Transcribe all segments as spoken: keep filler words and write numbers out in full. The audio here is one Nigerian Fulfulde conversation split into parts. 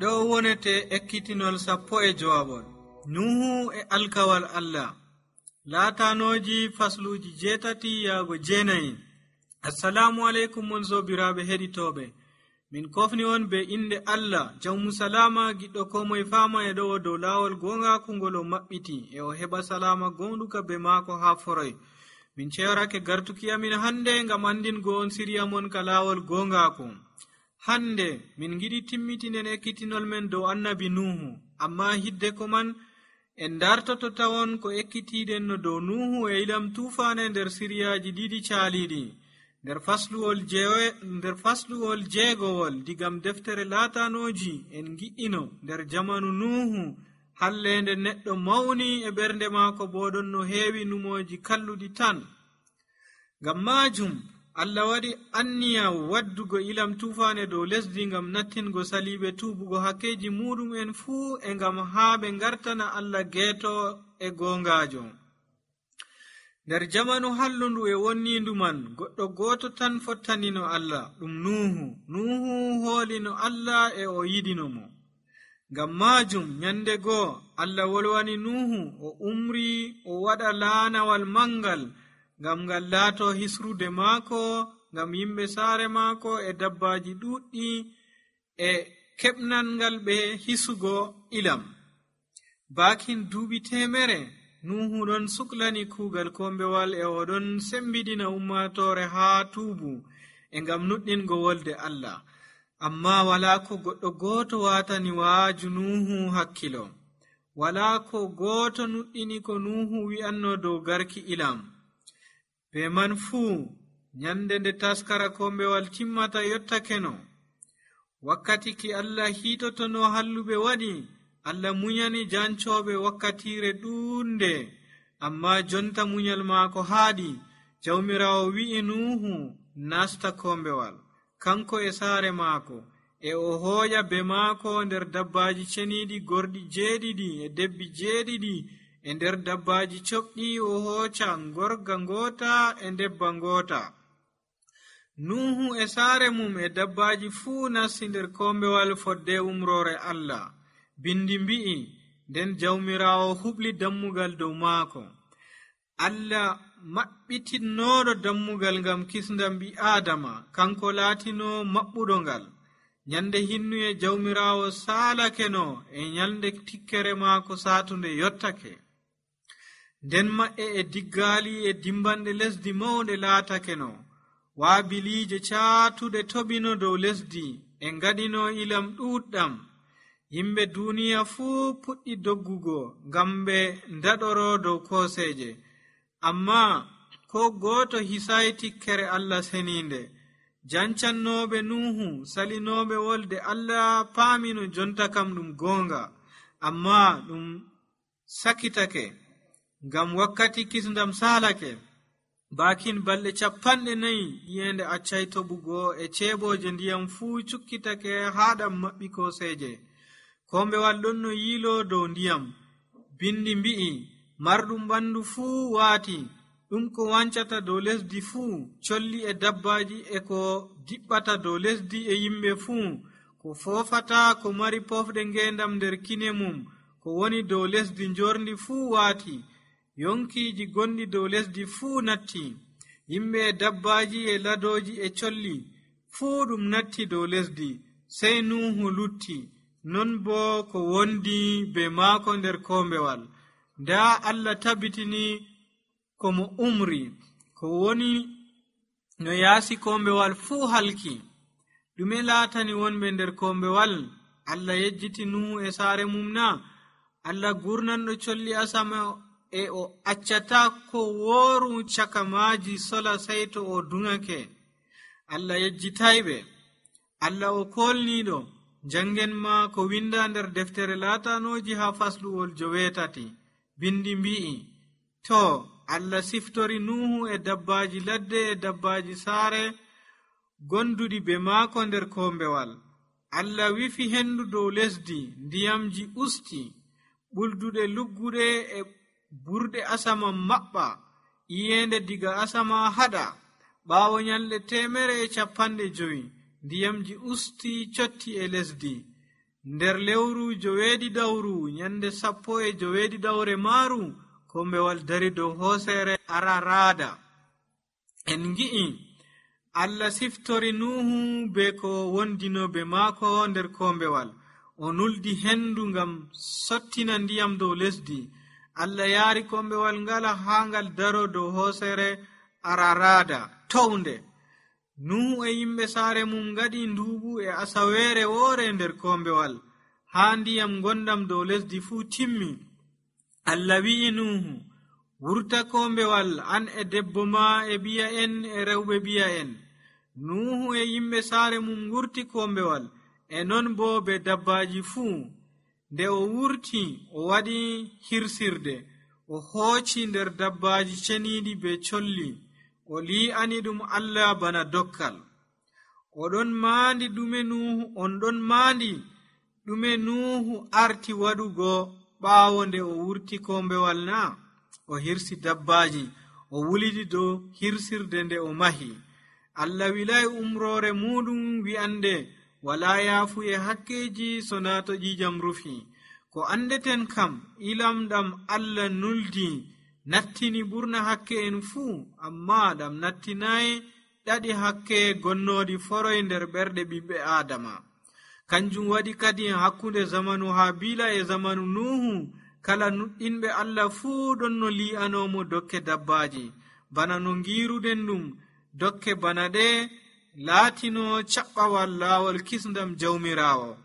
ɗo wonete ekkitinol sappo e jowaɓol nuhu e alkawal allah laatanoji fasluji jeetati yaago jeenayi. Assalamu aleykum mon sobiraɓe heɗitoɓe, min kofni on be inde allah jawmu salama giɗɗo ko moye fama e ɗo dow lawol gongaku ngol o maɓɓiti e o heɓa salama gonɗuka be maako ha foroy. Min cewarake gartuki amin hande ngam andingo on siriya mon ka lawol gongaku. Hande min giɗi timmitinen ekkitinol men dow annabi nuhu, amma hidde ko man en dartoto tawon ko ekkitiɗen no dow nuhu e ilam tufane nder siriyaji ɗiɗi caaliɗi nder fasluwol jewe nder fasluwol jeegowol digam deftere laatanoji. En gi'ino nder jamanu nuhu hallende neɗɗo mawni e ɓernde maako boɗon no heewi numoji kalluɗi tan. Ngam majum Allah waɗi anniya waddugo ilam tufane dow lesdi ngam nattingo saliɓe tubugo hakkeji muɗum en fuu e ngam haa ɓe ngartana Allah geeto e gongajo. Nder jamanu hallundu e wonnindu man goɗɗo goto tan fottanino Allah, ɗum nuhu. Nuhu hoolino Allah e o yiɗino mo. Ngam majum nyande goo Allah wolwani nuhu o umri o waɗa laanawal mangal ngam ngal laato hisrude maako, ngam yimɓe saare maako e dabbaji ɗuɗɗi e keɓnal ngal ɓe hisugo ilam. Bakin duuɓi temere nuhu ɗon suklani kuugal kombewal e oɗon sembidina ummatore haa tuubu e ngam nuɗɗingo wolde Allah. Amma wala ko goɗɗo gooto watani waaju nuhu hakkilo, wala ko gooto nuɗɗini ko nuhu wi'anno dow garki ilam. Be man fuu nyande nde taskara kombewal timmata yottakeno, wakkati ki Allah hiitotono halluɓe waɗi, Allah munyani jancoɓe wakkatire ɗuunde, amma jonta munyal maako haaɗi. Jawmirawo wi'i nuhu nasta kombewal kanko e saare maako, e o hooƴa be maako nder dabbaji ceniɗi gorɗi jeeɗiɗi e debbi jeeɗiɗi. E nder dabbaji coɓɗi o hooca gorga ngota e debba ngota. Nuhu e saare mum e dabbaji fuu nasti nder kombewal fodde umrore Allah. Bindi mbi'i nden jawmirawo huɓli dammugal dow maako. Allah maɓɓitinnoɗo dammugal ngam kisndam ɓi Adama, kanko laatino maɓɓuɗo ngal. Nyande hinnuye jawmirawo saalakeno e nyalde tikkere maako satunde yottake. Nden maɓɓe e diggali e dimbanɗe lesdi mawɗe laatakeno. Waabilije caatuɗe tobino dow lesdi e ngaɗino ilam ɗuɗɗam. Yimɓe duniya fuu puɗɗi doggugo ngam ɓe ndaɗoro dow koseje, amma ko gooto hisayi tikkere Allah seninde. Jancannoɓe nuhu salinoɓe wolde Allah paamino jonta kam ɗum gonga, amma ɗum sakitake ngam wakkati kisndam salake. Bakin balɗe capanɗe nayi yende accay toɓugo e ceeboje ndiyam fuu cukkitake haɗam maɓɓi koseje. Kombewal ɗon no yiilo dow ndiyam. Bindi mbi'i marɗum ɓandu fuu waati, ɗum ko wancata dow lesdi fuu, colli e dabbaji e ko diɓɓata dow lesdi e yimɓe fuu, ko foofata ko mari pofɗe ngendam nder kine mum, ko woni dow lesdi njorndi fuu waati. Yonkiji gonɗi dow lesdi fuu natti, yimɓe e dabbaji e ladoji e colli fuu ɗum natti dow lesdi, sey nuhu lutti. Non bo ko wondi be maako nder kombewal. Nda Allah tabbitini ko mo umri, ko woni no yaasi kombewal fuu halki. Ɗume laatani wonɓe nder kombewal? Allah yejjiti nuhu e saare mum na? Allah gurnanɗo colli asama e o accata ko wooru caka maaji sola sey to o dungake. Allah yejjitayɓe. Allah o kolniɗo. Jangen ma ko winda nder deftere laatanoji ha fasluwol joweetati. Bindi mbi'i to Allah siftori nuhu e dabbaji ladde e dabbaji saare gonduɗi be maako nder kombewal. Allah wifi hendu dow lesdi, ndiyamji usti, ɓulduɗe lugguɗe e burɗe asama maɓɓa, iyende diga asama haɗa. Ɓaawo nyalɗe temere e capanɗe jowi, ndiyamji usti cotti e lesdi. nder lewru joweeɗiɗawru nyande sappo e joweeɗiɗawre maaru kombewal dari dow hoosere Araraada. En ngi'i Allah siftori Nuhu be ko wondinoɓe maako nder kombewal. O nuldi hendu ngam sottina ndiyam dow lesdi. Allah yaari kombewal ngala haa ngal daro dow hoosere Araraada townde. Nuhu e yimɓe saare mum ngaɗi nduuɓu e asaweere woore nder kombewal. Haa ndiyam gondam dow lesdi fuu timmi, Allah wi'i Nuhu, wurta kombewal an e debbo ma e biya en e rewɓe biya en. Nuhu e yimɓe saare mum wurti kombewal, e non bo be dabbaaji fuu. Nde o wurti o waɗi hirsirde, o hooci nder dabbaaji ceniiɗi be colli, o li'ani ɗum Allah bana dokkal. Oɗon maandi ɗume Nuhu on ɗon maandi ɗume Nuhu arti waɗugo ɓaawo nde o wurti kombewal na? O hirsi dabbaaji, o wulidi dow hirsirde nde o mahi. Allah wilay umroore muɗum wi'ande wala yaafu e hakkeji so na to ƴiƴam rufi. Ko andeten kam ilam ɗam Allah nuldi nattini ɓurna hakke en fuu, amma ɗam nattinayi ɗaɗi hakke gonnoɗi foroy nder ɓerɗe ɓiɓɓe Adama. Kanjum waɗi kadi hakkunde zamanu Habila e zamanu Nuhu kala nuɗɗinɓe Allah fuu ɗon no li'anomo dokke dabbaji, bana no ngiruɗen ɗum dokke bana ɗe laatino caɓɓawal laawol kisndam jawmirawo.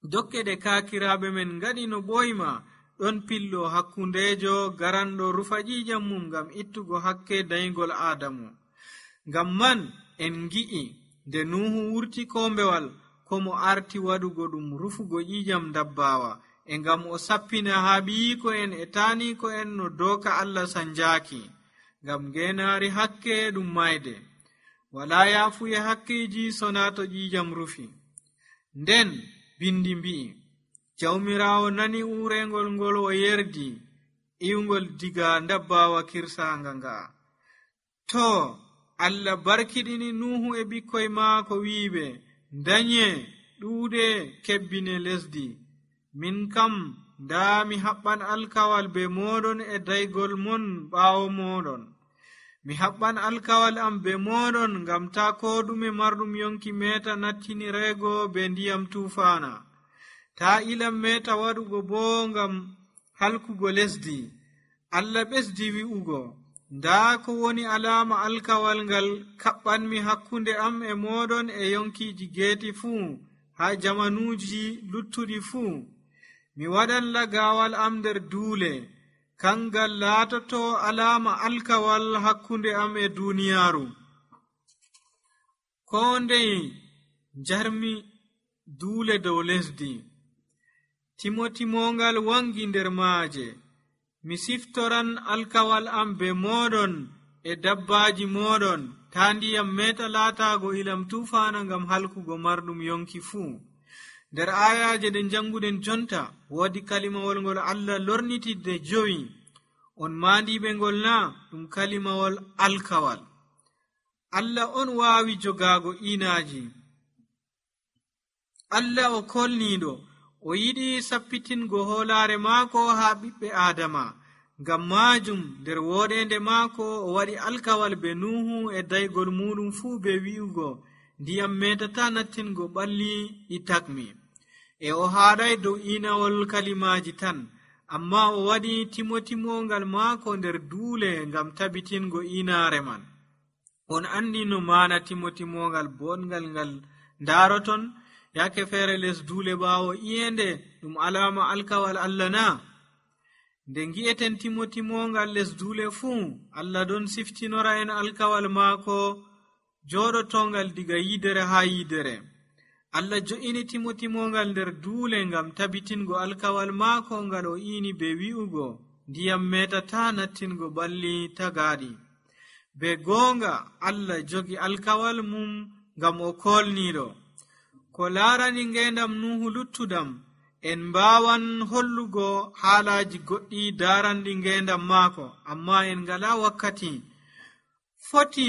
Dokke ɗe kaakiraɓe men ngaɗi no ɓoyma ɗon pillo hakkundejo garanɗo rufa ƴiƴam mum ngam ittugo hakke dayigol Adamu. Ngam man en ngi'i nde Nuhu wurti kombewal ko mo arti waɗugo ɗum rufugo ƴiƴam dabbawa, e ngam o sappina haaɓiyiko en e taaniko en no dooka Allah sanjaki, ngam ngenaari hakke ɗum mayde. Wala yaafuye hakkeji sona to ƴiƴam rufi. Nden bindi mbi'i, jawmirawo nani urengol ngol o yerdi iwgol diga dabbawa kirsanga nga. To Allah barkiɗini Nuhu e ɓikkoy maako wiiɓe, danye ɗuuɗe kebbine lesdi. Min kam nda mi haɓɓan alkawal be moɗon e daygol mon ɓaawo moɗon. Mi haɓɓan alkawal am be moɗon ngam ta ko ɗume marɗum yonki meta nattinirego be ndiyam tufana. Ta ilam meta waɗugo bo ngam halkugo lesdi. Allah ɓesdi wi'ugo, nda ko woni alama alkawal ngal kaɓɓanmi hakkunde am e moɗon e yonkiji geeti fuu, ha jamanuji luttuɗi fuu. Mi waɗan lagawal am nder duule, kangal laatoto alama alkawal hakkunde am e duniyaaru. Ko ndey jarmi duule dow lesdi, timotimogal wangi nder maaje. Mi siftoran alkawal am be moɗon e dabbaji moɗon, ta ndiyam meta laatago ilam tufana ngam halkugo marɗum yonki fuu. Nder ayaje ɗe janguɗen jonta woodi kalimawol ngol Allah lornitidde jowi. On maandiɓe ngol na ɗum kalimawol alkawal. Allah on waawi jogago inaji. Allah o kolniɗo, o yiɗi sappitingo hoolare maako haa ɓiɓɓe Adama. Ngam majum nder woɗende maako o waɗi alkawal be Nuhu e daygol muɗum fuu be wi'ugo, ndiyam metata nattingo ɓalli ɗi takmi. E o haaɗay dow inawol kalimaji tan, amma o waɗi timotimogal maako nder duule ngam tabitingo inaare man. On andi no mana timotimogal bongal ngal ndaroton yake feere les duule ɓaawo iyende ɗum alama alkawal Allah na? Nde ngi'eten timotimogal les duule fuu, Allah ɗon siftinora en alkawal maako joɗotongal diga yidere ha yidere. Allah jo'ini timotimogal nder duule ngam tabitingo alkawal maako ngal o ini be wi'ugo, ndiyam metata nattingo ɓalli tagaɗi. Be goonga Allah jogi alkawal mum ngam o kolniɗo. Ko laarani ngendam Nuhu luttudam, en mbawan hollugo haalaji goɗɗi daranɗi ngendam maako, amma en ngala wakkati. Foti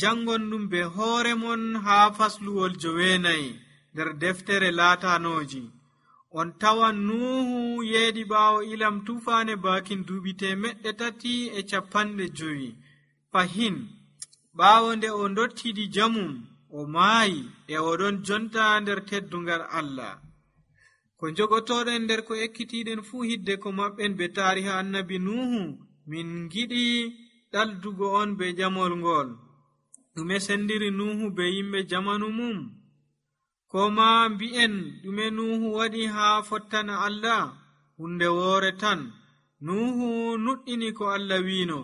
jangon ɗum be hoore mon haa fasluwol joweenayi nder deftere laatanoji. on tawan nuhu yeedi ɓaawo ilam tufaane baakin duuɓi temeɗɗe tati e capanɗe jowi fahin ɓaawo nde o dottidi jamum o maayi e oɗon jonta nder teddungal Allah. Ko jogotoɗen nder ko ekkitiɗen fuu hidde ko maɓɓen be taariha annabi nuhu min giɗi ɗaldugo on be jamol ngol ɗume sendiri nuhu be yimɓe jamanu mum, ko ma mbi'en ɗume nuhu waɗi haa fottana Allah. Hunde woore tan nuhu nuɗɗini ko Allah wiino,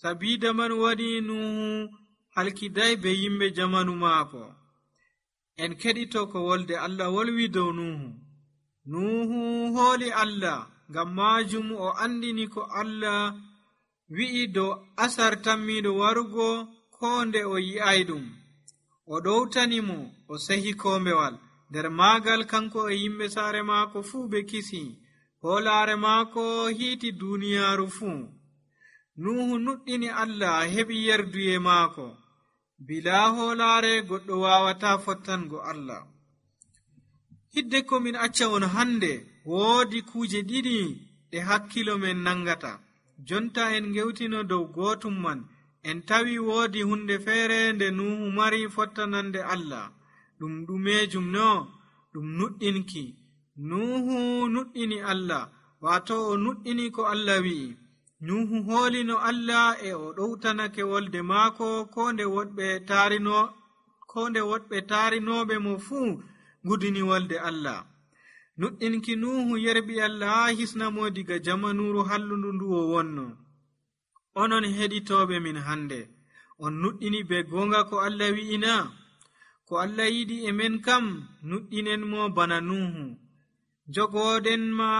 sabida man waɗi nuhu halkiday be yimɓe jamanu maako. En keɗito ko wolde Allah wolwi dow nuhu. nuhu hooli Allah, ngam maajum o andini ko Allah wi'i dow asar tammiɗo warugo ko nde o yi'ay ɗum. O ɗowtanimo o sehi kombewal, nder maagal kanko e yimɓe saare maako fuu ɓe kisi, hoolaare maako hiiti duuniyaaru fuu. nuhu nuɗɗini Allah heɓi yerduye maako. bilaa hoolaare goɗɗo waawata fottango Allah. hidde ko min acca on hande woodi kuuje ɗiɗi ɗe hakkilo men nangata. jonta en gewtino dow gootum man. en tawi woodi hunde feere nde nuhu mari fottanande Allah. ɗum ɗumejum no? ɗum nuɗɗinki. nuhu nuɗɗini Allah, waato o nuɗɗini ko Allah wi'i. nuhu hoolino Allah e o ɗowtanake wolde maako ko nde woɗɓe taarino ko nde woɗɓe taarinoɓe mo fuu gudini wolde Allah. nuɗɗinki nuhu yerɓi Allah haa hisnamo diga jamanuru hallundu ndu o wonno. onon heɗitoɓe min hande, on nuɗɗini be gonga ko Allah wi'ina? ko Allah yiɗi e men kam nuɗɗinen mo bana nuhu. jogoɗen ma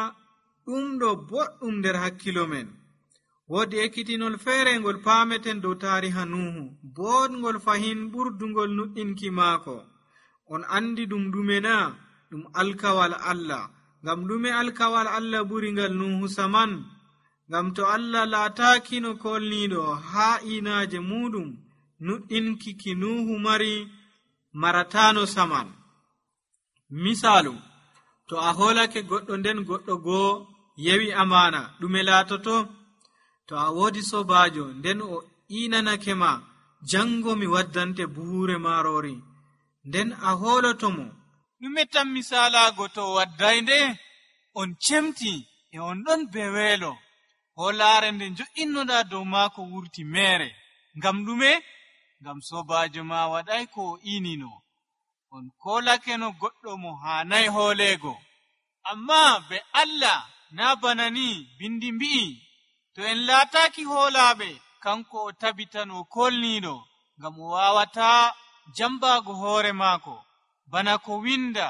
ɗum ɗo boɗɗum nder hakkilo men. woodi ekkitinol feere ngol paameten dow taariha nuhu, boɗngol fahin ɓurdungol nuɗɗinki maako. on andi ɗum ɗume na? ɗum alkawal Allah. ngam ɗume alkawal Allah ɓuri ngal nuhu saman? ngam to Allah laataakino kolniiɗo haa inaaje muɗum, nuɗɗinki ki nuhu mari marataano saman. misaalu, to a hoolake goɗɗo nden goɗɗo goo yewi amaana, ɗume laatoto? to a woodi sobaajo nden o inanake ma, jango mi waddante buhuure maarori, nden a hooloto mo, ɗume tan misaalaago to o wadday nde? on cemti e on ɗon be weelo. hoolaare nde njo'innoɗa dow maako wurti meere. ngam ɗume? ngam sobaajo ma waɗay ko o inino. on koolake no goɗɗo mo haanay hooleego. amma be Allah na bana ni bindi mbi'i, to en laataaki hoolaaɓe, kanko o tabitan o kolniiɗo, ngam o waawata jambaago hoore maako. bana ko winda,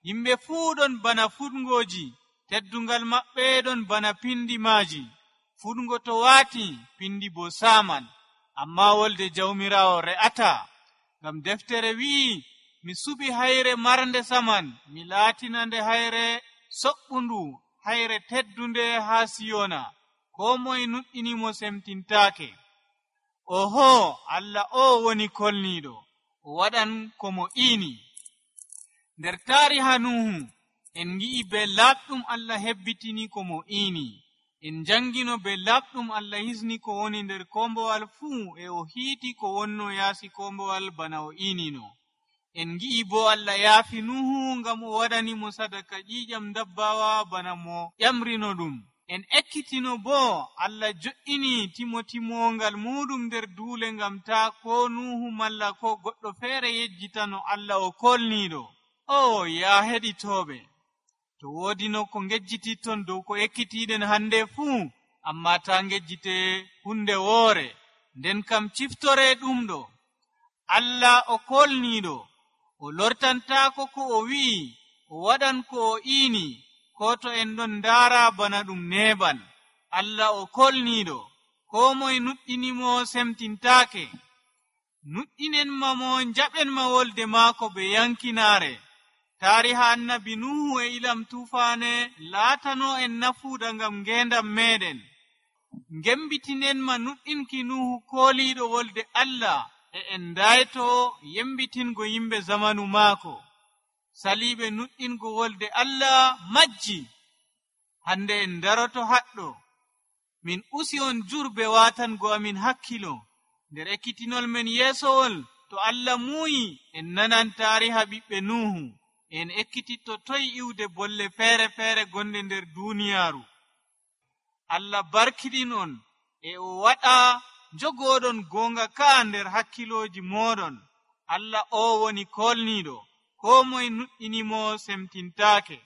yimɓe fuu ɗon bana fuɗngooji, teddungal maɓɓe ɗon bana pindi maaji. fuɗngo to waati, pindi bo saaman. amma wolde jawmirawo re'ata. ngam deftere wi'i, mi suɓi hayre marnde saman, mi laatinande hayre soɓɓundu, hayre teddunde haa siyona. ko moye nuɗɗinimo semtintaake. oho, Allah o woni kolniiɗo, o waɗan ko mo iini. nder taariha nuhu en ngi'i be laaɓɗum Allah hebbitini ko mo iini. en jangino be laaɓɗum Allah hisni ko woni nder kombowal fuu, e o hiiti ko wonno yaasi kombowal bana o iinino. en ngi'i bo Allah yaafi nuhu ngam o waɗanimo sadaka ƴiƴam dabbawa bana mo ƴamrino ɗum. en ekkitino bo Allah jo'ini timotimongal muɗum nder duule ngam ta ko nuhu malla ko goɗɗo feere yejjitano Allah o kolniiɗo. o ya heɗitoɓe, to woodi no ko ngejjititton dow ko ekkitiɗen hande fuu, amma ta ngejjite hunde woore. nden kam ciftore ɗum ɗo. Allah o kolniiɗo, o lortantaako ko o wi'i, o waɗan ko o iini, ko to en ɗon ndaara bana ɗum neeɓan. Allah o kolniiɗo, ko moye nuɗɗinimo semtintaake. nuɗɗinen ma mo, njaɓen ma wolde maako be yankinaare. taariha annabi nuhu e ilam tufaane laatano en nafuuda ngam ngeendam meɗen. ngembitinen ma nuɗɗinki nuhu kooliiɗo wolde Allah, e en ndayto yembitingo yimɓe zamanu maako. saliiɓe nuɗɗingo wolde Allah majji. Hande en daroto haɗɗo min usi on jurbe watango amin hakkilo nder ekkitinol men yeesowol. To Allah muuyi en nanan taariha ɓiɓɓe Nuhu, en ekkititto toy iwde bolle feere feere gonde nder duniyaaru. Allah barkiɗin on e o waɗa jogoɗon gonga ka nder hakkilooji moɗon. Allah o woni kolniiɗo, ko moye nuɗɗinimo semtintaake.